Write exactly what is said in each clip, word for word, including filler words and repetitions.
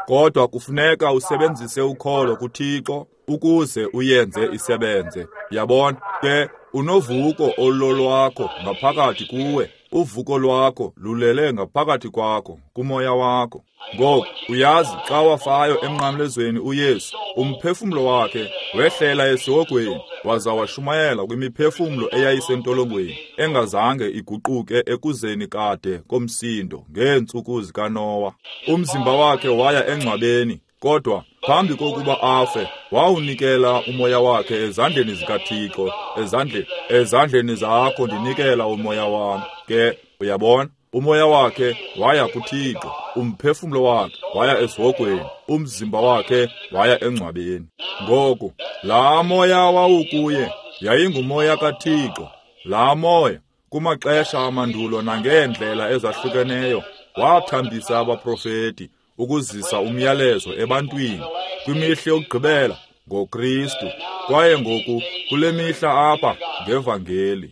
Kodwa kufuneka usebenzise ukholo kuThixo ukuze uyenze isebenze. Yabona? Ke unovuko ololwakho ngaphakathi kuwe. Uvuko lwakho lulele ngaphakathi kwakho, kumoya wakho. Ngoku uyazi xa wafayo emnqamlezweni uYesu, umphefumlo wakhe wehlela esihogweni waza washumayela kwimiphefumlo eyayisentolongweni engazange iguquke ekuzeni kade komsindo ngeentsuku zikaNowa. Umzimba wakhe waya engcwabeni, kodwa phambi kokuba afe wawunikela umoya wakhe ezandleni zikaThixo. Ezandleni ezandleni zakho ndinikela umoya wam. Ke uyabona, umoya wakhe waya kuThixo, umphefumlo wakhe waya esihogweni, umzimba wakhe waya engcwabeni. Ngoku laa moya wawukuye yayingumoya kaThixo. Laa moya kumaxesha amandulo nangeendlela ezahlukeneyo wathambisa abaprofeti ukuzisa umyalezo ebantwini kwimihla yokugqibela ngoKristu, kwaye ngoku kule mihla apha ngevangeli.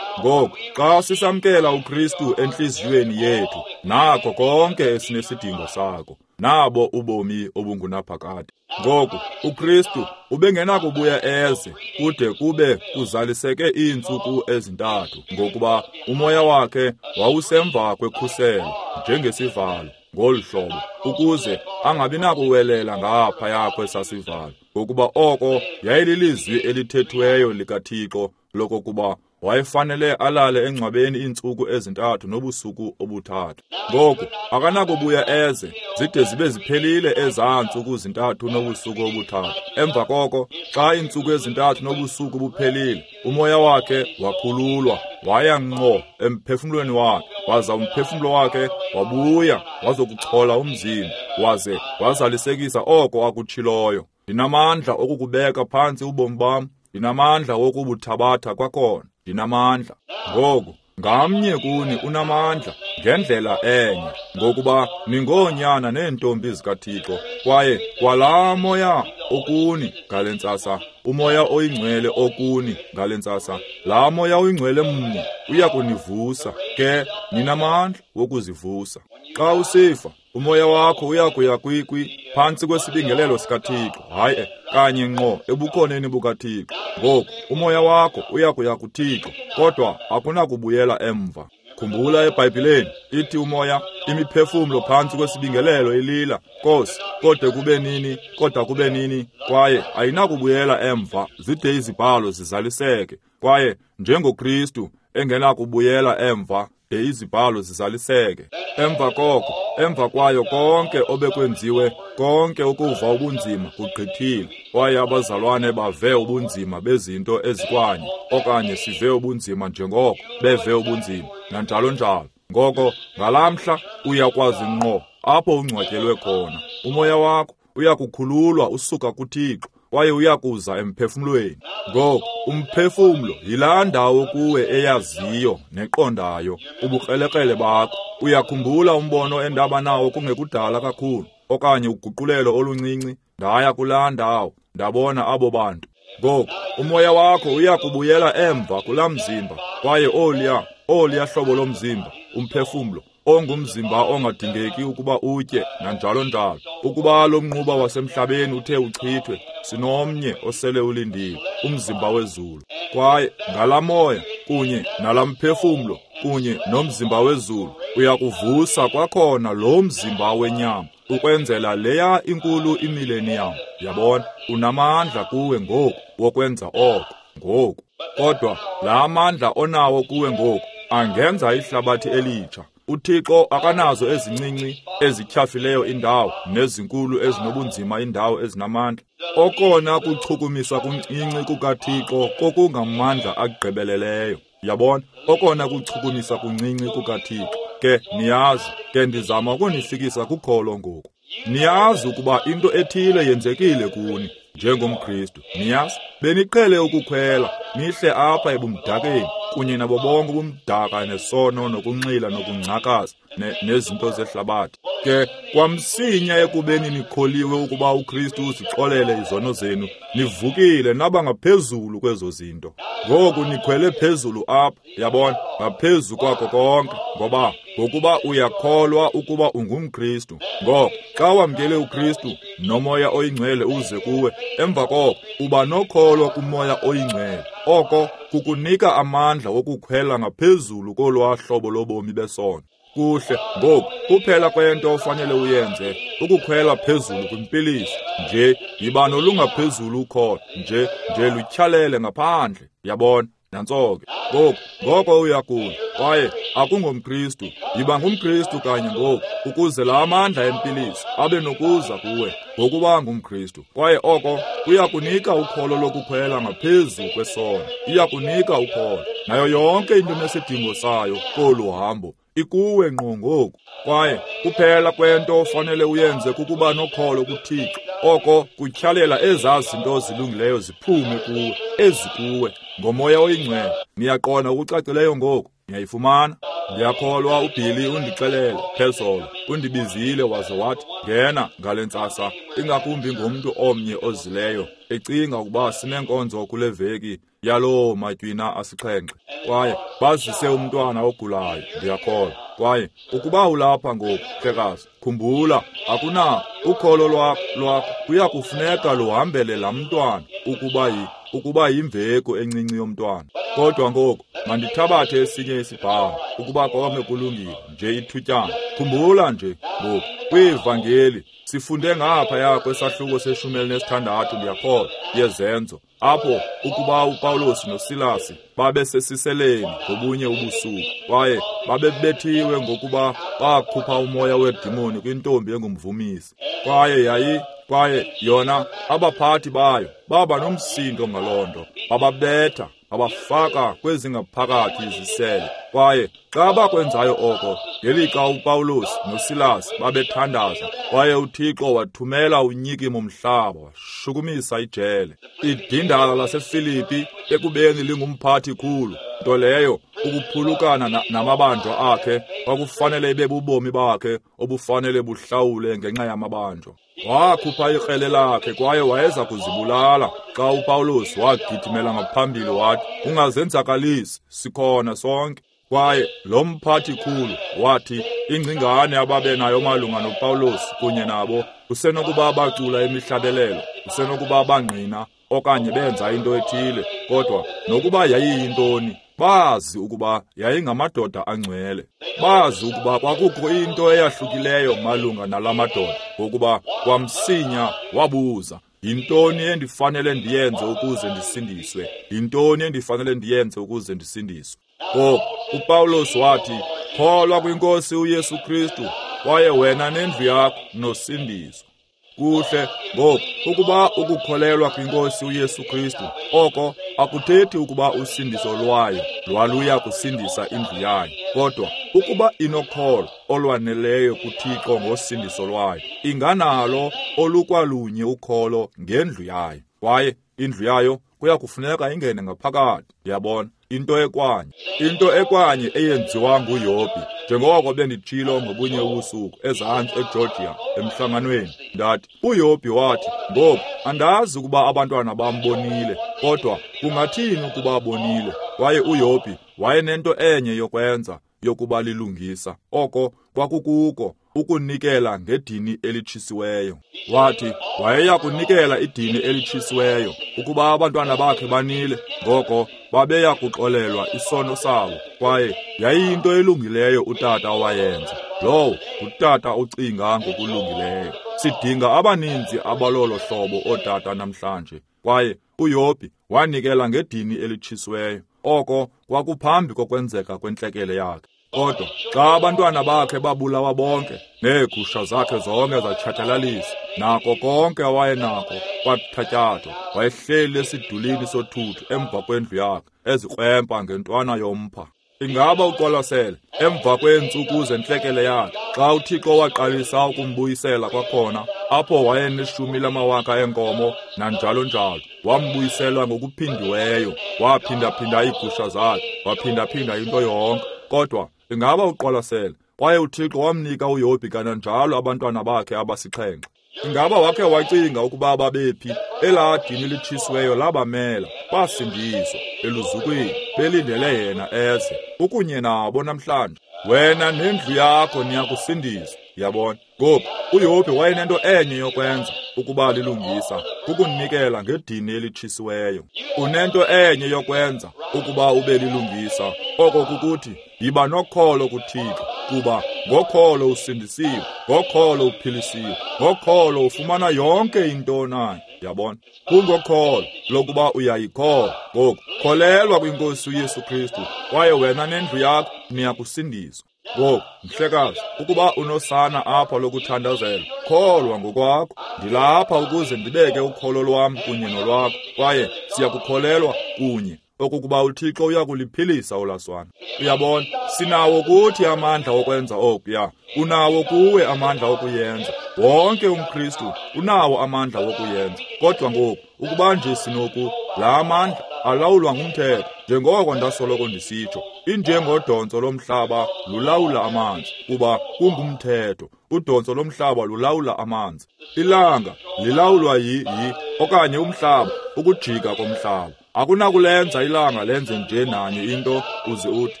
Ngoku xa sisamkela uKristu entliziyweni yethu, nako konke esinesidingo sako, nabo ubomi obungunaphakade. Ngoku uKristu ubengenakubuya eze kude kube kuzaliseke iintsuku ezintathu, ngokuba umoya wakhe wawusemva kwekhuselo njengesivalo ngolu hlobo, ukuze angabi nakuwelela ngaphaya kwesasivalo, ngokuba oko yayililizwi elithethiweyo likaThixo lokokuba wayefanele alale engcwabeni iintsuku ezintathu nobusuku obuthathu. Ngoku akanakubuya eze zide zibe ziphelile ezaa ntsuku zintathu nobusuku obuthathu. Emva koko, xa iintsuku ezintathu nobusuku buphelile, umoya wakhe wakhululwa waya ngqo emphefumlweni wakhe, waza umphefumlo wakhe wabuya wazokuchola umzimba, waze wazalisekisa oko akutshiloyo. Ndinamandla okukubeka phantsi ubomi bam, ndinamandla wokubuthabatha kwakhona, ndinamandla. Ngoku ngamnye kuni unamandla ngendlela enye, ngokuba ningoonyana neentombi zikaThixo, kwaye kwalaa moya okuni ngale ntsasa, umoya oyingcwele okuni ngale ntsasa, laa moya oyingcwele mnye uya kunivusa. Ke ninamandla wokuzivusa. Xa usifa, umoya wakho uya kuya kwikwi phantsi kwesibingelelo sikaThixo, hayi kanye ngqo ebukhoneni bukaThixo. Ngoku umoya wakho uya kuya kuThixo, kodwa akunakubuyela emva. Khumbula eBhayibhileni ithi umoya, imiphefumlo phantsi kwesibingelelo ilila, Nkosi, kodwa kube nini, kodwa kube nini, kwaye ayinakubuyela emva zide izibhalo zizaliseke. Kwaye njengoKristu engenakubuyela emva de izibhalo zizaliseke. Emva koko, emva kwayo konke obekwenziwe, konke ukuva ubunzima kugqithile, kwaye abazalwane bave ubunzima bezinto ezikwanye, okanye sive ubunzima njengoko beve ubunzima, nanjalo njalo. Ngoko ngalaa mhla uyakwazi ngqo apho ungcwatyelwe khona. Umoya wakho uyakukhululwa usuka kuThixo, kwaye uyakuza emphefumlweni. Ngoku umphefumlo yilaa ndawo kuwe eyaziyo neqondayo ubukrelekrele bakho. Uyakhumbula umbono endaba nawo kungekudala kakhulu, okanye uguqulelo oluncinci? Ndaya kulaa ndawo, ndabona abo bantu. Ngoku umoya wakho uyakubuyela emva kulaa mzimba, kwaye oliya oliya hlobo lomzimba, umphefumlo ongumzimba ongadingeki ukuba utye nanjalo njalo. Ukuba lo mnquba wasemhlabeni uthe uchithwe, sinomnye osele ulindile, umzimba wezulu. Kwaye ngalaa moya kunye nalaa mphefumlo kunye nomzimba wezulu uyakuvusa kwakhona lo mzimba wenyama ukwenzela leya inkulu imileniyam. Yabona, unamandla kuwe ngoku wokwenza oko ngoku. Kodwa laa mandla onawo kuwe ngoku angenza ihlabathi elitsha. UThixo akanazo ezincinci ezityhafileyo indawo nezinkulu ezinobunzima indawo ezinamandla. Okona kuchukumisa kuncinci kukaThixo kokungamandla agqibeleleyo. Yabona, okona kuchukumisa kuncinci kukaThixo. Ke niyazi, ke ndizama ukunifikisa kukholo ngoku. Niyazi ukuba into ethile yenzekile kuni njengomKristu. Niyazi, beniqhele ukukhwela nihle apha ebumdakeni kunye nabo bonke ubumdaka nesono nokunxila nokungcakaza ne, nezinto zehlabathi. Ke kwamsinya ekubeni nikholiwe ukuba uKristu usixolele izono zenu, nivukile naba ngaphezulu kwezo zinto. Ngoku nikhwele phezulu apha, yabona, ngaphezu kwako konke, ngoba ngokuba uyakholwa ukuba ungumKristu. Ngoko xa wamkele uKristu noMoya oyiNgcwele uze kuwe, emva koko uba nokholo kuMoya oyiNgcwele. Oko kukunika amandla wokukhwela ngaphezulu kolwaa hlobo lobomi besono. Kuhle, ngoku kuphela kwento ofanele uyenze ukukhwela phezulu kwimpiliso. Nje yiba nolungaphezulu ukholo, nje nje lutyhalele ngaphandle, yabona. Nantso ke. Ngoku ngoko uyagula kwaye akungomKristu, yiba ngumKristu kanye ngoku, ukuze la amandla empiliso abe nokuza kuwe ngokuba ngumKristu. Kwaye oko kuyakunika ukholo lokukhwela ngaphezu kwesono, iyakunika ukholo nayo yonke into enesidingo sayo kolu hambo ikuwe ngqo ngoku. Kwaye kuphela kwento ofanele uyenze kukuba nokholo kuThixo. Oko kutyhalela ezaa zinto zilungileyo ziphume kuwe, ezikuwe ngoMoya oyiNgcwele. Niyaqonda okucacileyo ngoku? Niyayifumana? Ndiyakholwa uBilly undixelele phezolo, undibizile waze wathi, ngena ngale ntsasa, ingakumbi ngumntu omnye ozileyo, ecinga ukuba sinenkonzo kule veki yaloo matywina asixhenxe, kwaye bazise umntwana ogulayo, ndiyakholwa. Kwaye ukuba ulapha ngoku, hlekazi, khumbula, akunako ukholo lwakho lwakho kuya kufuneka luhambele laa mntwana ukuba yi ukuba yimveko encinci yomntwana. Kodwa ngoku mandithabathe esinye isibhalo, ukuba konke kulungile, nje ithutyana. Khumbula nje ngoku, kwiivangeli sifunde ngaphaya kwesahluko seshumi elinesithandathu, ndiyakholwa, yeZenzo, apho ukuba uPawulos noSilasi babesesiseleni ngobunye ubusuku, kwaye babebethiwe ngokuba bakhupha umoya wedimoni kwintombi engumvumisi. Kwaye yayi kwaye yona abaphathi bayo baba nomsindo ngaloo nto, bababetha, babafaka kwezingaphakathi izisele. Kwaye xa bakwenzayo oko, ngelixa uPawulos noSilas babethandaza, kwaye uThixo wathumela unyikimo mhlaba washukumisa ijele. Idindala laseFilipi ekubeni lingumphathi khulu, nto leyo ukuphulukana namabanjwa akhe kwakufanele ibe bubomi bakhe obufanele buhlawule ngenxa yamabanjwa. Wakhupha ikrele lakhe kwaye wayeza kuzibulala xa uPawulos wagidimela ngaphambili wathi, ungazenzakalisi, sikhona sonke. Kwaye lo mphathi khulu wathi ingcingane ababenayo malunga noPawulos kunye nabo kusenokuba bacula imihlabelelo, kusenokuba bangqina okanye benza into ethile, kodwa nokuba yayiyintoni, bazi ukuba yayingamadoda angcwele. Bazi ukuba kwakukho into eyahlukileyo malunga nala madoda, ngokuba kwamsinya wabuza, yintoni endifanele ndiyenze ukuze ndisindiswe? Yintoni endifanele ndiyenze ukuze ndisindiswe? Ngoku uPawulos wathi, kholwa kwinkosi uYesu Kristu, kwaye wena nendlu yakho nosindiswa. Kuhle, ngoku ukuba ukukholelwa kwinkosi uYesu Kristu, oko akuthethi ukuba usindiso lwayo lwaluya kusindisa indlu yayo, kodwa ukuba inokholo olwaneleyo kuThixo ngosindiso lwayo, inganalo olukwalunye ukholo ngendlu yayo, kwaye indlu yayo kuya kufuneka ingene ngaphakathi. Yabona, into ekwanye, into ekwanye eyenziwa nguYobhi, njengoko benditshilo ngobunye ubusuku ezantsi eGeorgia emhlanganweni, ndathi uYobhi wathi, ngoku andazi ukuba abantwana bambonile, kodwa kungathini ukuba bonile? Kwaye uYobhi wayenento enye yokwenza yokuba lilungisa, oko kwakukuko ukunikela ngedini elitshisiweyo. Wathi wayeya kunikela idini elitshisiweyo ukuba abantwana bakhe banile, ngoko babeya kuxolelwa isono sabo. Kwaye yayiyinto elungileyo utata owayenza. Lowo ngutata ocinga ngokulungileyo. Sidinga abaninzi abalolo hlobo ootata namhlanje. Kwaye uYobhi wanikela ngedini elitshisiweyo, oko kwakuphambi kokwenzeka kwentlekele yakhe. Kodwa xa abantwana bakhe babulawa bonke, neegusha zakhe zonke zatshatyalaliswa, nako konke awayenako kwathatyathwa, wayehleli esidulini sothuthu emva kwendlu yakhe, ezikrwempa ngentwana yompha. Ingaba uqwalasele emva kweentsuku zentlekele yakhe, xa uThixo waqalisa ukumbuyisela kwakhona, apho wayeneshumi lamawaka eenkomo nanjalo njalo, wambuyisela ngokuphindiweyo, waphindaphinda iigusha zakhe, waphindaphinda into yonke. Kodwa ingaba uqwalasele Kwaye uThixo wamnika uYobhi kananjalo abantwana bakhe abasixhenxe. Ingaba wakhe wacinga ukuba babephi? Elaa dini litshisiweyo labamela, basindiswa eluzukwini, belindele yena eze. Ukunye nabo namhlanje. Wena nendlu yakho niyakusindiswa. Yabona? Ngoku uYobhi wayenento enye yokwenza ukuba lilungisa, kukunikela ngedini elitshisiweyo. Unento enye yokwenza ukuba ube lilungisa, oko kukuthi yiba nokholo kuThixo, kuba ngokholo usindisiwe, ngokholo uphilisiwe, ngokholo ufumana yonke into onayo. Yabona? Kungokholo lokuba uyayikholwa. Ngoku kholelwa kwinkosi uYesu Kristu, kwaye wena nendlu yakho niyakusindiswa. Ngoku, mhlekazi, ukuba unosana apha lokuthandazela, kholwa ngokwakho. Ndilapha ukuze ndibeke ukholo lwam kunye nolwakho, kwaye siyakukholelwa kunye okokuba uThixo uyakuliphilisa olaswana. Uyabona, sinawo kuthi amandla okwenza okuya. Unawo kuwe amandla okuyenza. Wonke umKristu unawo amandla wokuyenza. Kodwa ngoku, ukuba nje sinoku, la amandla alawulwa ngumthetho, njengoko ndasoloko ndisitsho, injengodontso lomhlaba lulawula amanzi, kuba kungumthetho. Udontso lomhlaba lulawula amanzi. Ilanga lilawulwa yi yi okanye umhlaba, ukujika komhlaba. Akunakulenza ilanga lenze nje nanye into uze uthi,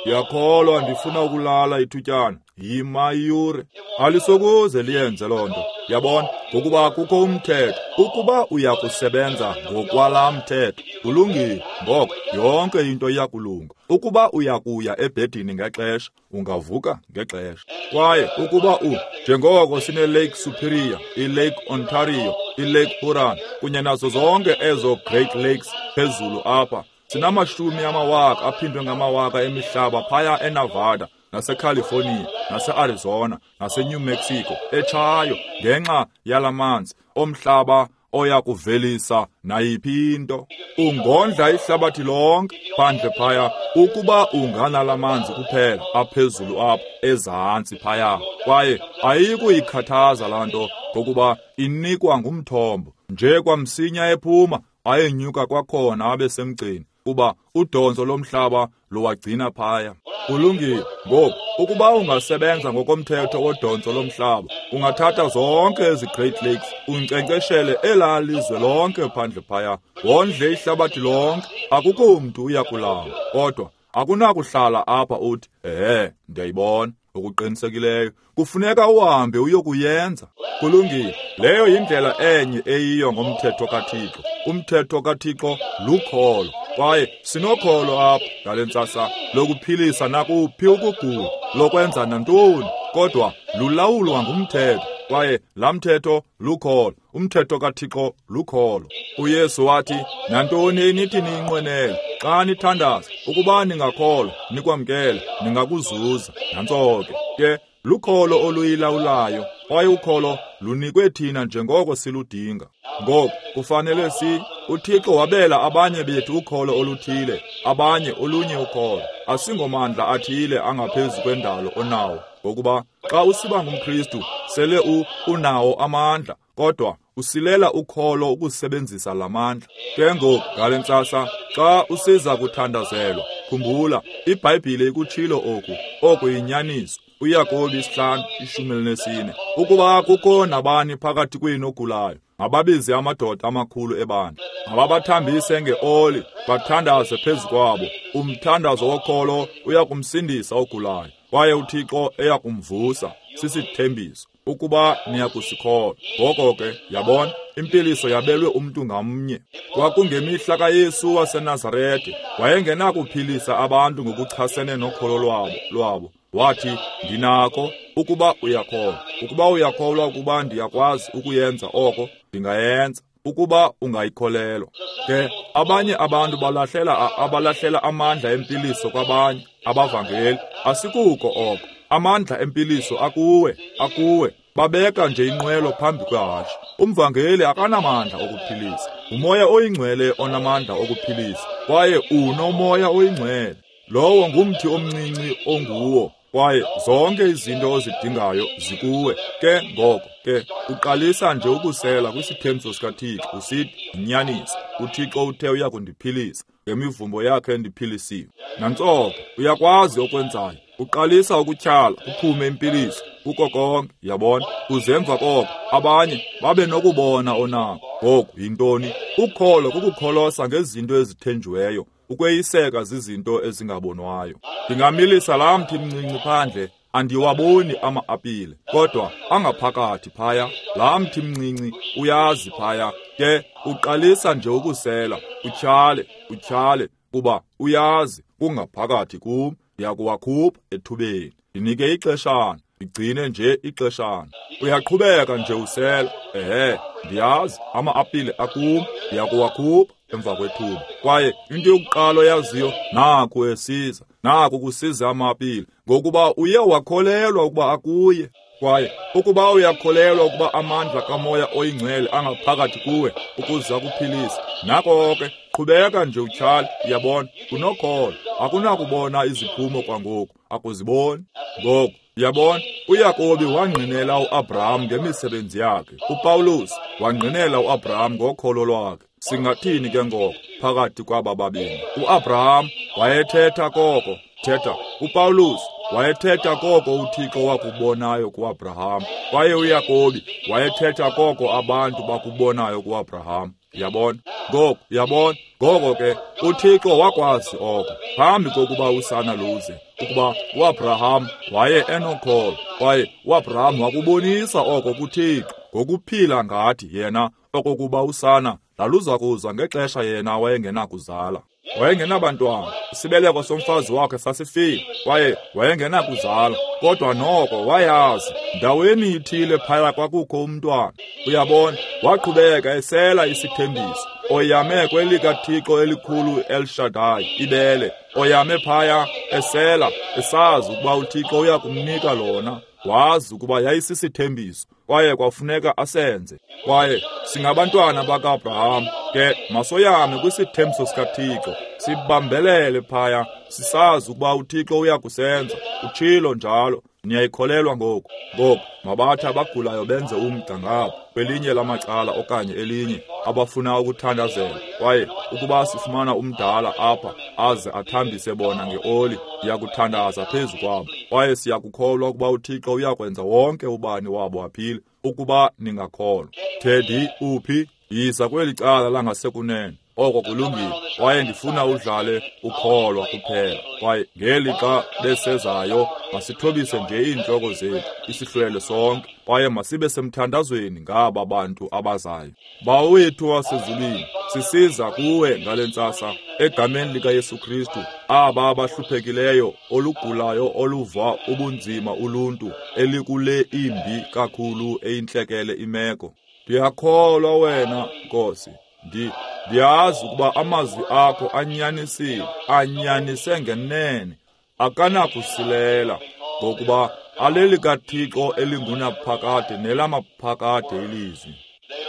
ndiyakholwa ndifuna ukulala ithutyana. Yima iyure. Alisokuze liyenze loo nto. Yabona, ngokuba kukho umthetho. Ukuba uyakusebenza ngokwalaa mthetho, ulungile, ngoko yonke into iyakulunga. Ukuba uyakuya ebhedini ngexesha, ungavuka ngexesha. Kwaye ukuba u, njengoko sine-Lake Superior, i-Lake Ontario, i-Lake Huron, kunye nazo zonke ezo Great Lakes phezulu apha, sinamashumi amawaka aphindwe ngamawaka emihlaba phaya eNevada, naseCalifornia, nase-Arizona, nase-New Mexico, etshayo ngenxa yalamanzi omhlaba oya kuvelisa nayiphi into. Ungondla ihlabathi lonke phandle phaya ukuba unganalamanzi kuphela aphezulu apha ezantsi phaya. Kwaye ayikuyikhathaza laa nto ngokuba inikwa ngumthombo. Nje kwamsinya ephuma ayenyuka kwakhona abe semgceni, kuba udontso lomhlaba luwagcina phaya. Kulungile. Ngoku, ukuba ungasebenza ngokomthetho wodontso lomhlaba, ungathatha zonke ezi Great Lakes, unkcenkceshele elaa lizwe lonke phandle phaya, wondle ihlabathi lonke, akukho mntu uyakulamba. Kodwa akunakuhlala apha uthi, ehe, ndiyayibona. Okuqinisekileyo kufuneka uhambe uyokuyenza. Kulungile. Leyo yindlela enye eyiyo ngomthetho kaThixo. Umthetho kaThixo lukholo, kwaye sinokholo apha ngale ntsasa lokuphilisa nakuphi ukugula, lokwenza nantoni, kodwa lulawulwa ngumthetho, kwaye laa mthetho lukholo. Umthetho kaThixo lukholo. uYesu wathi, nantoni enithi niyinqwenele xa nithandaza, ukuba ningakholwa nikwamkele, ningakuzuza. Nantso ke. Ke lukholo oluyilawulayo, kwaye ukholo lunikwe thina njengoko siludinga. Ngoku kufanele si uThixo wabela abanye bethu ukholo oluthile, abanye olunye ukholo. Asingomandla athile angaphezu kwendalo onawo, ngokuba xa usiba ngumKristu sele u unawo amandla, kodwa usilela ukholo ukusebenzisa lamandla. Ke ngoku ngale ntsasa xa usiza kuthandazelwa, khumbula iBhayibhile ikutshilo oku, oku yinyaniso. uYakobi isihlanu ishumi elinesine. Ukuba kukho nabani phakathi kwenu ogulayo, mababize amadoda amakhulu ebandla, mababathambise ngeoli, bathandaze phezu kwabo. Umthandazo wokholo uyakumsindisa ogulayo, kwaye uThixo eyakumvusa. Sisithembiso ukuba niyakusikholwa. Ngoko ke, yabona, impiliso yabelwe umntu ngamnye. Kwakungemihla kaYesu waseNazarete, wayengenakuphilisa abantu ngokuchasene nokholo lwabo lwabo. Wathi, ndinako ukuba uyakholwa. Ukuba uyakholwa ukuba ndiyakwazi ukuyenza oko, ndingayenza. Ukuba ungayikholelwa. Ke abanye abantu balahlela abalahlela amandla empiliso kwabanye abavangeli. Asikuko oko. Amandla empiliso akuwe, akuwe. Babeka nje inqwelo phambi kwehashe. Umvangeli akanamandla okuphilisa. Umoya oyingcwele onamandla okuphilisa. Kwaye unomoya oyingcwele. Lowo ngumthi omncinci onguwo. Kwaye zonke izinto ozidingayo zikuwe. Ke ngoko ke uqalisa nje ukusela kwisithembiso sikaThixo usithi, yinyaniso, uThixo uthe uyakundiphilisa, ngemivumbo yakhe ndiphilisiwe. Nantsoko uyakwazi okwenzayo. Uqalisa ukutyhala kuphume impiliso kuko konke, yabona. Kuze emva koko abanye babe nokubona onako. Ngoku yintoni? Ukholo kukukholosa ngezinto ezithenjiweyo, ukweyiseka zizinto ezingabonwayo. Ndingamilisa laa mthi mncinci phandle, andiwaboni ama-apile, kodwa angaphakathi phaya. Laa mthi mncinci uyazi phaya, ke uqalisa nje ukusela, utyhale, utyhale, kuba uyazi kungaphakathi kum. Ndiyakuwakhupha ethubeni, ndinike ixeshana, ndigcine nje ixeshana. Uyaqhubeka nje usela. Ehe, ndiyazi ama-apile akum, ndiyakuwakhupha emva kwethuba. Kwaye into yokuqala oyaziyo, naku esiza, naku kusiza ama-apile, ngokuba uye wakholelwa ukuba akuye. Kwaye ukuba uyakholelwa ukuba amandla kaMoya oyiNgcwele angaphakathi kuwe ukuze akuphilise, nako ke qhubeka nje utyhale. Uyabona, unokholo. Akunakubona iziphumo kwangoku, akuziboni ngoku. Uyabona, uYakobi wangqinela uAbraham ngemisebenzi yakhe, uPawulos wangqinela uAbraham ngokholo lwakhe. Singathini ke ngoko phakathi kwaba babini? uAbraham wayethetha koko thetha, uPawulos wayethetha koko uThixo wakubonayo kuAbraham, kwaye uYakobi wayethetha koko abantu bakubonayo kuAbraham. Yabona ngoko, yabona ngoko ke uThixo wakwazi oko phambi kokuba usana luze, ukuba uAbraham waye enokholo, kwaye uAbraham wakubonisa oko kuThixo ngokuphila ngathi yena okokuba usana laluza kuza ngexesha yena wayengenakuzala. Wayengenabantwana, isibeleko somfazi wakhe sasifile, kwaye wayengenakuzala, kodwa noko wayazi ndaweni ithile phaya kwakukho umntwana. Uyabona, waqhubeka esela isithembiso, oyame kwelikaThixo elikhulu El Shaddai, ibele, oyame phaya esela, esazi ukuba uThixo uyakumnika lona. Wazi ukuba yayisisithembiso, kwaye kwafuneka asenze. Kwaye singabantwana baka-Abraham, ke masoyame kwisithembiso sikaThixo, sibambelele phaya, sisazi ukuba uThixo uyakusenza. Utshilo njalo. Niyayikholelwa ngoku? Ngoku mabathi abagulayo benze umgca ngapha kwelinye lamacala okanye elinye, abafuna ukuthandazela. Kwaye ukuba sifumana umdala apha aze athambise bona ngeoli, ndiyakuthandaza phezu kwabo. Kwaye siyakukholwa ukuba uThixo uyakwenza wonke ubani wabo aphile, ukuba ningakholwa. Teddy, uphi? Yiza kweli cala langasekunene. Oko kulungile. Kwaye ndifuna udlale ukholwa kuphela. Kwaye ngelixa besezayo, masithobise nje iintloko zethu, isihlwele sonke, kwaye masibe semthandazweni ngaba bantu abazayo. Bawo wethu wasezulwini, sisiza kuwe ngale ntsasa egameni likaYesu Kristu, aba abahluphekileyo, olugulayo, oluva ubunzima uluntu elikule imbi kakhulu eyintlekele imeko. Ndiyakholwa wena, Nkosi. Ndi Ndiyazi ukuba amazwi akho anyanisile, anyanise ngenene, akanakusilela, ngokuba alelikaThixo elingunaphakade nelamaphakade ilizwi.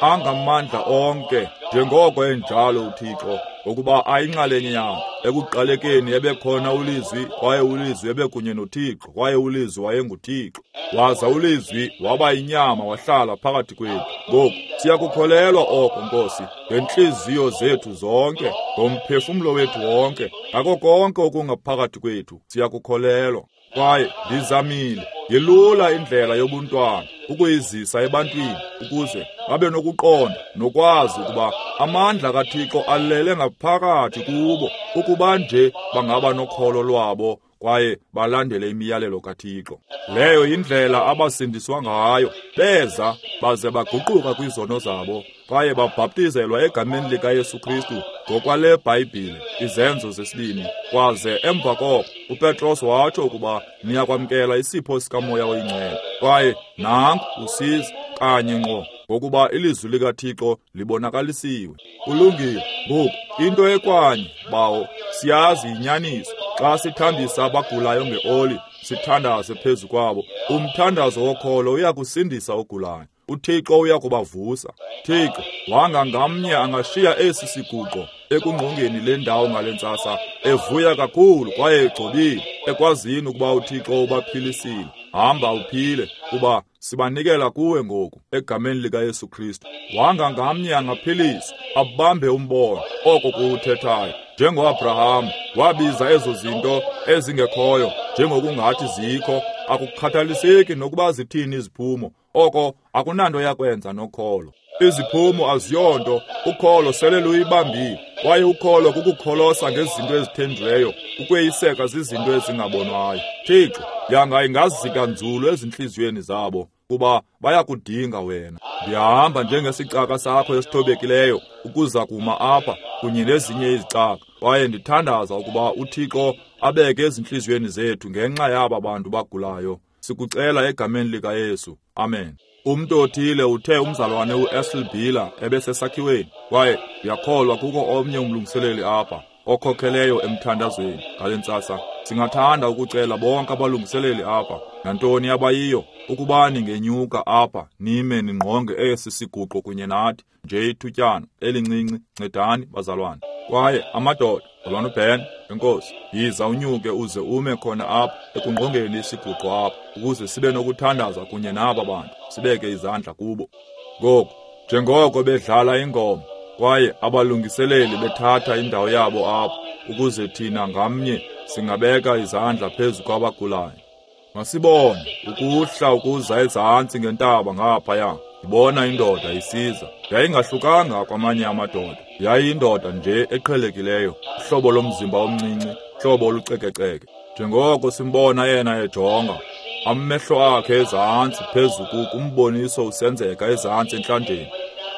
Angamandla onke, njengoko enjalo uThixo, ngokuba ayinxalenye yakhe. Ekuqalekeni ebekhona ulizwi, kwaye ulizwi ebekunye noThixo, kwaye ulizwi wayenguThixo. Waza ulizwi waba yinyama wahlala phakathi kwethu. Ngoku siyakukholelwa oko, Nkosi, ngentliziyo zethu zonke, ngomphefumlo wethu wonke, ngako konke okungaphakathi kwethu, siyakukholelwa. Kwaye ndizamile yelula indlela yobuntwana ukuyizisa ebantwini, ukuze babe nokuqonda nokwazi ukuba amandla kaThixo alele ngaphakathi kubo, ukuba nje bangaba nokholo lwabo kwaye balandele imiyalelo kaThixo. Leyo yindlela abasindiswa ngayo. Beza baze baguquka kwizono zabo, kwaye babhaptizelwa egameni likaYesu Kristu ngokwale Bhayibhile, Izenzo zesibini. Kwaze emva koko uPetros watsho ukuba niyakwamkela isipho sikaMoya oyiNgcwele. Kwaye nanku usiza kanye ngqo, ngokuba ilizwi likaThixo libonakalisiwe. Kulungile. Ngoku into ekwanye, Bawo, siyazi inyaniso. Xa sithambisa abagulayo ngeoli, sithandaze phezu kwabo, umthandazo wokholo uyakusindisa ogulayo. uThixo uyakubavusa. Thixo, wanga ngamnye angashiya esi siguqo ekungqongeni le ndawo ngale ntsasa, evuya kakhulu kwaye egcobile, ekwazini ukuba uThixo ubaphilisile. Hamba uphile, kuba Sibanikela kuwe ngoku egameni likaYesu Kristu. Wanga ngamnye angaphiliswa, abambe umbono oko kuwuthethayo. NjengoAbraham wabiza ezo zinto ezingekhoyo njengokungathi zikho, akukhathaliseki nokuba zithini iziphumo, oko akunanto yakwenza nokholo. Iziphumo aziyonto, ukholo sele luyibambile, kwaye ukholo kukukholosa ngezinto ezithenjiweyo, ukweyiseka zizinto ezingabonwayo. Thixo, yanga ingazika nzulu ezintliziyweni zabo, kuba bayakudinga wena. Ndiyahamba njengesicaka sakho esithobekileyo ukuza kuma apha kunye nezinye izicaka, kwaye ndithandaza ukuba uThixo abeke ezintliziyweni zethu ngenxa yaba bantu bagulayo. Sikucela egameni likaYesu. Amen. Umntu othile uthe umzalwane uEsel Biller ebesesakhiweni, kwaye uyakholwa kukho omnye umlungiseleli apha okhokheleyo emthandazweni ngale ntsasa. Singathanda ukucela bonke abalungiseleli apha, nantoni abayiyo, ukuba ningenyuka apha nime ningqonge esi siguqo kunye nathi nje ithutyana elincinci. Ncedani bazalwane. Kwaye amadoda, mzalwane uBen, enkosi, yiza unyuke uze ume khona apha ekungqongeni isiguqo apha, ukuze sibe nokuthandaza kunye naba bantu, sibeke izandla kubo. Ngoku, njengoko bedlala ingoma, kwaye abalungiseleli bethatha indawo yabo apha, ukuze thina ngamnye singabeka izandla phezu kwabagulayo. Masibone ukuhla ukuza ezantsi ngentaba ngaphaya. Ndibona indoda isiza. Yayingahlukanga kwamanye amadoda. Yayiyindoda nje eqhelekileyo, uhlobo lomzimba omncinci, hlobo olucekeceke. Njengoko simbona yena ejonga, amehlo akhe ezantsi phezu kumboniso usenzeka ezantsi entlanjeni.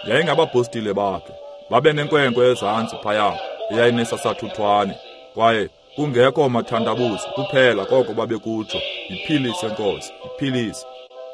Yayingabapostile bakhe. Babe nenkwenkwe ezantsi phaya eyayinesasathuthwane, kwaye kungekho mathandabuzo kuphela koko babekutsho, yiphilise Nkosi, yiphilise.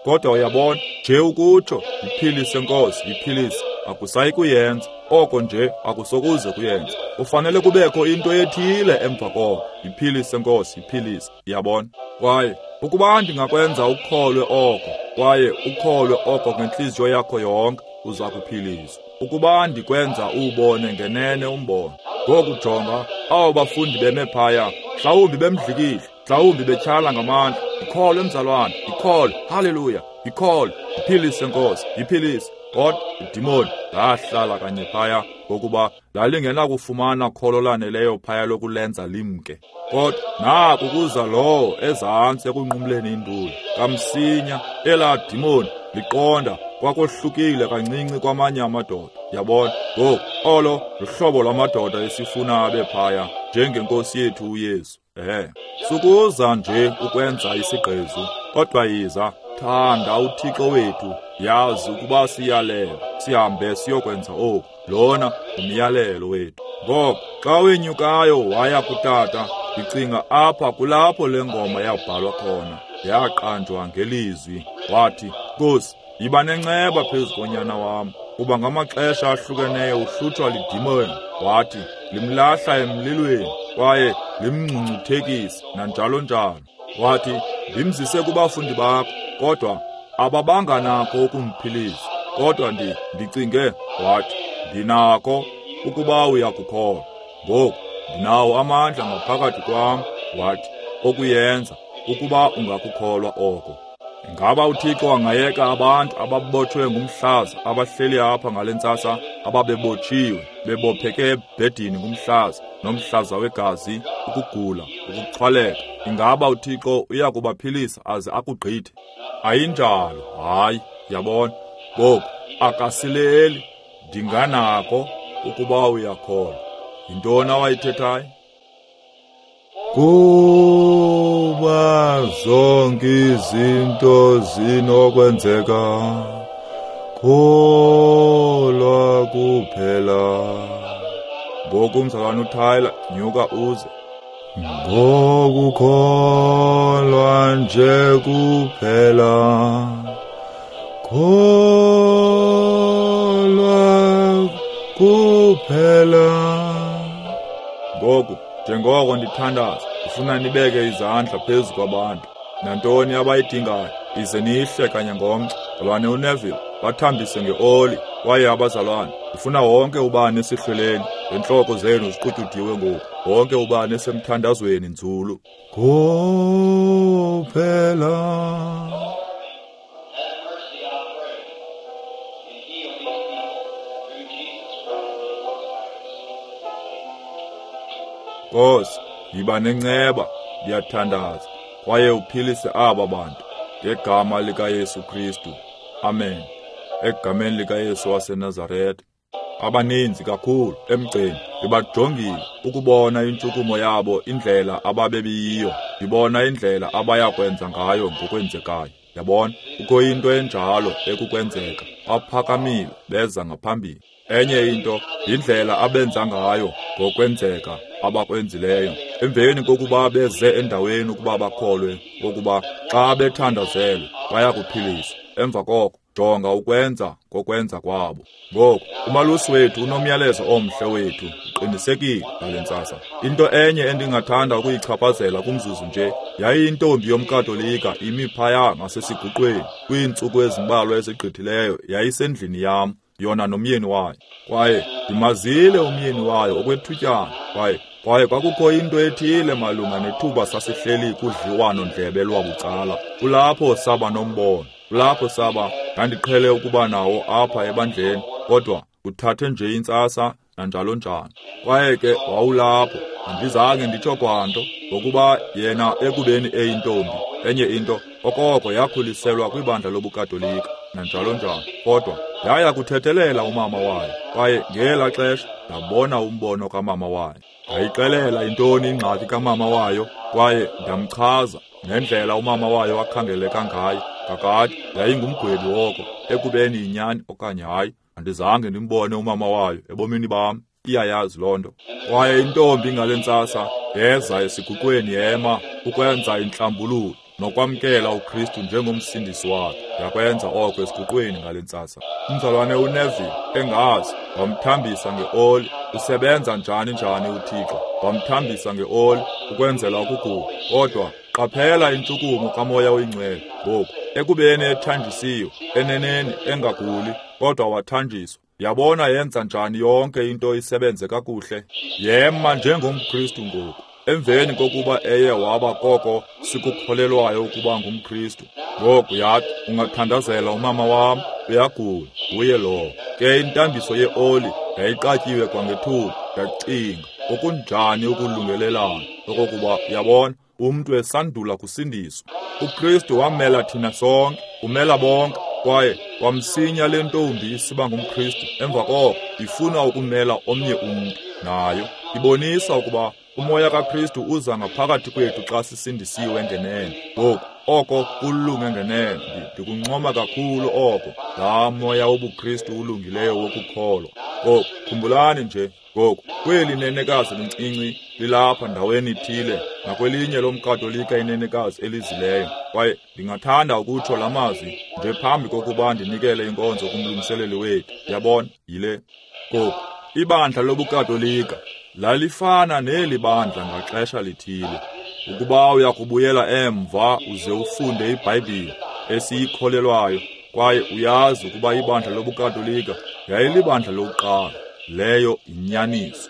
Kodwa uyabona, nje ukutsho yiphilise Nkosi, yiphilise, akusayi kuyenza. Oko nje akusokuze kuyenza. Kufanele kubekho into ethile emva koko. Yiphilise Nkosi, yiphilise. Uyabona? Kwaye ukuba ndingakwenza ukholwe oko, kwaye ukholwe oko ngentliziyo yakho yonke, uza kuphiliswa. Ukuba ndikwenza uwubone ngenene umbono. Ngoku jonga, abo bafundi beme phaya, mhlawumbi bemdlikile, mhlawumbi betyhala ngamandla. Ikholwe mzalwane, ikholwe, haleluya, ikholwe, yiphilise Nkosi, yiphilise. Kodwa idimoni lahlala kanye phaya, ngokuba lalingenakufumana kholo laneleyo phaya lokulenza limke. Kodwa naku kuza lowo ezantsi ekunqumleni induli. Kamsinya elaa dimoni liqonda kwakohlukile kancinci kwamanye amadoda. Yabona? Ngoku olo luhlobo lwamadoda esifuna abe phaya, njengenkosi yethu uYesu. Ehe. Sukuza nje ukwenza isigqezu, kodwa yiza, thanda uThixo wethu, yazi ukuba siyalela, sihambe siyokwenza oku. Lona umyalelo wethu. Ngoko xa wenyukayo waya kutata, ndicinga apha kulapho le ngoma yabhalwa khona, yaqanjwa ngelizwi. Wathi, Nkosi, yiba nenceba phezu konyana wam, kuba ngamaxesha ahlukeneyo uhlutshwa lidimoni. Wathi, limlahla emlilweni, kwaye limngcungcuthekise, nanjalo njalo. Wathi, ndimzise kubafundi bakho, kodwa ababanga nakho ukumphilisa. Kodwa ndi ndicinge, wathi, ndinakho ukuba uyakukholwa. Ngoku ndinawo amandla ngaphakathi kwam, wathi, okuyenza ukuba ungakukholwa oko. Ingaba uThixo angayeka abantu ababotshwe ngumhlaza abahleli apha ngale ntsasa, ababebotshiwe, bebopheke ebhedini ngumhlaza, nomhlaza wegazi, ukugula, ukuxhwaleka? Ingaba uThixo uyakubaphilisa aze akugqithe? Ayinjalo, hayi, yabona. Ngoku akasileli, ndinganako ukuba uyakholwa. Yintoni awayithethayo? Kuba zonke izinto zinokwenzeka, kholwa kuphela. Ngoku mzalwane uTyler, nyuka uze. Ngokukholwa nje kuphela, kholwa kuphela. Ngoku njengoko ndithandaza, ndifuna nibeke izandla phezu kwabantu. Nantoni abayidingayo, ize nihle kanye ngomgca. Mzalwane uNeville, bathambise ngeoli. Kwaye abazalwane, ndifuna wonke ubani esihlweleni, ngentloko zenu ziqutyudiwe ngoku, wonke ubani esemthandazweni nzulu. Kuphela. Nkosi, yiba nenceba, ndiyathandaza, kwaye uphilise aba bantu ngegama likaYesu Kristu. Amen. Egameni likaYesu waseNazaretha. Abaninzi kakhulu emgceni ndibajongile ukubona intshukumo yabo, indlela ababebiyiyo, ndibona indlela abayakwenza ngayo ngokwenzekayo. Yabona, kukho into enjalo ekukwenzeka. Baphakamile beza ngaphambili. Enye into yindlela abenza ngayo ngokwenzeka abakwenzileyo. Emveni kokuba beze endaweni ukuba bakholwe ukuba xa bethandazelwe bayakuphiliswa. Emva koko jonga ukwenza kokwenza kwabo. Ngoku umalusi wethu unomyalezo omhle wethu, uqinisekile ngale ntsasa. Into enye endingathanda ukuyichaphazela kumzuzu nje, yayiyintombi yomKatolika imi phaya ngasesiguqweni kwiintsuku ezimbalwa ezigqithileyo. Yayisendlini yam, yona nomyeni wayo, kwaye ndimazile umyeni wayo okwethutyana. Kwaye kwaye kwakukho into ethile malunga nethuba sasihleli kudliwano-ndlebe lwabucala. Kulapho saba nombono, kulapho saba ndandiqhele ukuba nawo apha ebandleni, kodwa uthathe nje intsasa nanjalo njalo. Kwaye ke wawulapho, andizange nditsho kwanto, ngokuba yena ekubeni eyintombi, enye into okoko yakhuliselwa kwibandla lobuKatolika nanjalo njalo, kodwa yaya kuthethelela umama wayo. Kwaye ngela xesha ndabona umbono kamama wayo. Ndayixelela intoni ingxaki kamama wayo, kwaye ndamchaza nendlela umama wayo akhangeleka ngayo. Kakade yayingumgwebi woko, ekubeni yinyani okanye hayi. Andizange ndimbone umama wayo ebomini bam, iyayazi loo nto. Kwaye intombi ngale ntsasa yeza esiguqweni yema ukwenza intlambululo nokwamkela uKristu njengomsindisi wakhe. Yakwenza oko esiguqweni ngale ntsasa. Umzalwane uNeville engazi, wamthambisa ngeoli. Usebenza njani njani uThixo? Wamthambisa ngeoli ukwenzela ukugula. Kodwa qaphela intshukumo kaMoya oyiNgcwele ngoku, ekubeni ethanjisiwe, eneneni engaguli, kodwa wathanjiswa. Yabona yenza njani yonke into isebenze kakuhle? Yema njengomKristu ngoku, emveni kokuba eye waba koko sikukholelwayo ukuba ngumKristu. Ngoku yathi, ungathandazela umama wam, uyagula, nguye lowo. Ke intambiso yeoli yayiqatyiwe kwangethuba. Ndacinga, okunjani ukulungelelana okokuba, yabona, umntu esandula kusindiswa. UKristu wamela thina sonke, umela bonke, kwaye kwamsinya le ntombi isiba ngumKristu. Emva koko ifuna ukumela omnye umntu nayo. Ibonisa ukuba umoya kaKristu uza ngaphakathi kwethu xa sisindisiwe ngenene. Ngoku oko kulunge ngenene, ndikuncoma kakhulu oko, laa moya wobuKristu ulungileyo wokukholwa. Ngoku khumbulani nje, ngoku kweli nenekazi lincinci lilapha ndaweni ithile, nakwelinye lomKatolika inenekazi elizileyo. Kwaye ndingathanda ukutsho la mazwi nje phambi kokuba ndinikele inkonzo kumlungiseleli wethu. Yabona, yile. Ngoku ibandla lobuKatolika lalifana neli bandla ngaxesha lithile. Ukuba uyakubuyela emva uze ufunde iBhayibhile esiyikholelwayo, kwaye uyazi ukuba ibandla lobuKatolika yayilibandla lokuqala, leyo inyaniso.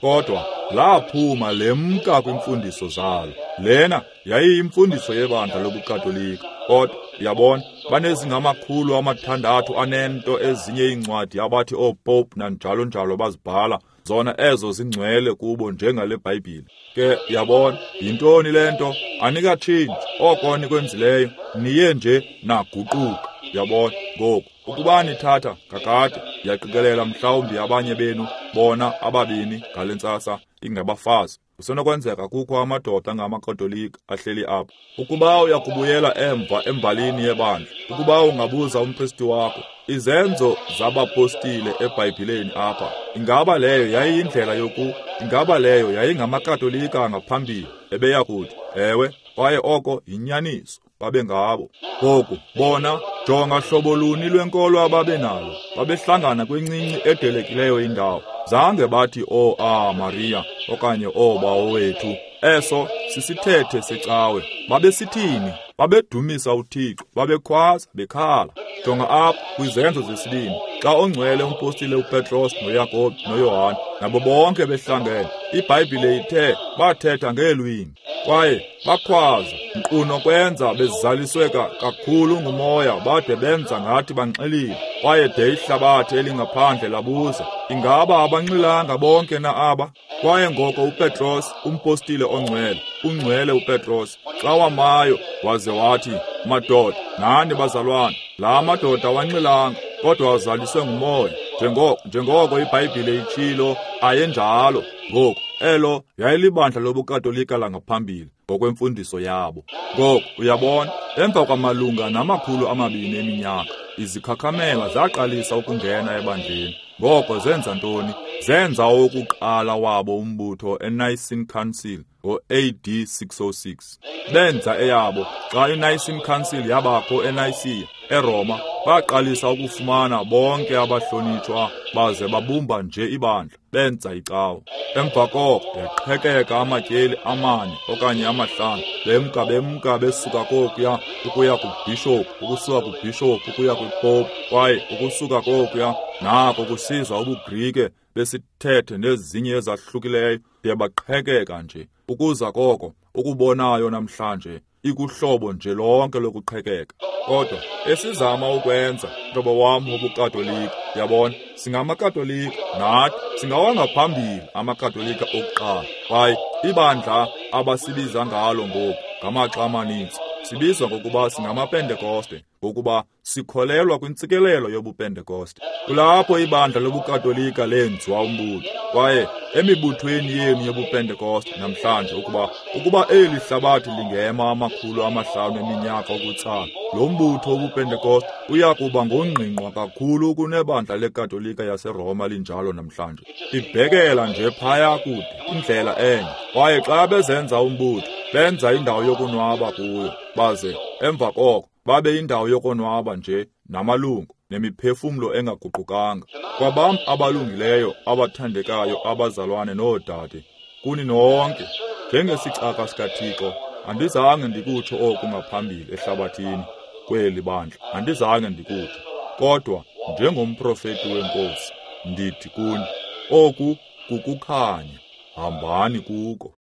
Kodwa laphuma lemka kwimfundiso zalo. Lena yayiyimfundiso yebandla lobuKatolika. Kodwa uyabona, banezingamakhulu amathandathu anento ezinye iincwadi abathi ooPope nanjalo njalo bazibhala, zona ezo zingcwele kubo njengale Bhayibhile. Ke uyabona, yintoni le nto? Anikatshintshi oko nikwenzileyo, niye nje naguquka. Uyabona, ngoku ukuba nithatha kakade, ndiyaqikelela mhlawumbi abanye benu bona ababini ngale ntsasa ingabafazi. Kusenokwenzeka kukho amadoda angamaKatolika ahleli apha. Ukuba uyakubuyela emva embalini yebandla, ukuba ungabuza umpristi wakho izenzo zabapostile eBhayibhileni apha, ingaba leyo yayiyindlela yoku, ingaba leyo yayingamakatolika ngaphambili? Ebeya kuthi ewe, kwaye oko yinyaniso, babengabo. Ngoku bona, jonga hlobo luni lwenkolo ababenalo. Babehlangana kwincinci edelekileyo indawo. Zange bathi o a Maria okanye o Bawo wethu. Eso sisithethe secawe. Babesithini? Babedumisa uThixo, babekhwaza bekhala. Jonga apha kwizenzo zesibini, xa ongcwele umpostile uPetros noYakobi noYohane nabo bonke behlangene, iBhayibhile ithe bathetha ngeelwimi kwaye bakhwaza, nkqu nokwenza bezaliswe kakhulu ngumoya bade benza ngathi banxilile. Kwaye de ihlabathi elingaphandle labuza, ingaba abanxilanga bonke na aba? Kwaye ngoko uPetros, umpostile ongcwele, ungcwele uPetros, xa wamayo waze wathi, madoda, nani bazalwane, la madoda awanxilanga, kodwa azaliswe ngumoya, njengoko njengoko iBhayibhile itshilo, ayenjalo. Ngoku, elo yayilibandla lobuKatolika langaphambili ngokwemfundiso yabo. Ngoku, uyabona, emva kwamalunga namakhulu amabini eminyaka, izikhakhamela zaqalisa ukungena ebandleni. Ngoko zenza ntoni? Zenza owokuqala wabo umbutho eNicene Council ngo-A D six oh six. Benza eyabo xa iNicene Council yabakho eNicea, eRoma, baqalisa ukufumana bonke abahlonitshwa baze babumba nje ibandla, benza icawa. Emva koko yaqhekeka amatyeli amane okanye amahlanu, bemka bemka besuka kokuya ukuya kubhishophu, ukusuka kubhishophu ukuya kwipopu, kwaye ukusuka kokuya nako kusiza ubuGrike besithethe nezinye ezahlukileyo, yabaqhekeka nje. Ukuza koko ukubonayo namhlanje ikuhlobo nje lonke lokuqhekeka. Kodwa esizama ukwenza, mhlobo wam wobuKatolika, yabona, singamaKatolika nathi, singawangaphambili amaKatolika okuqala. Kwaye ibandla abasibiza ngalo ngoku ngamaxa amaninzi sibizwa ngokuba singamaPentekoste, ngokuba sikholelwa kwintsikelelo yobuPentekoste. Kulapho ibandla lobuKatolika lenziwa umbutho. Kwaye emibuthweni yenu yobuPentekoste namhlanje, ukuba ukuba eli hlabathi lingema amakhulu amahlanu eminyaka ukutsala, lo mbutho wobuPentekoste uya kuba ngongqingqwa kakhulu kunebandla leKatolika yaseRoma linjalo namhlanje. Ibhekela nje phaya kude, indlela enye. Kwaye xa bezenza umbutho, benza indawo yokonwaba kuyo, baze emva koko babe indawo yokonwaba nje namalungu nemiphefumlo engaguqukanga. Kwabam abalungileyo abathandekayo abazalwane noodade, kuni nonke, njengesicaka sikaThixo, andizange ndikutsho oku ngaphambili ehlabathini kweli bandla, andizange ndikutsho, kodwa njengomprofeti weNkosi ndithi kuni, oku kukukhanya, hambani kuko.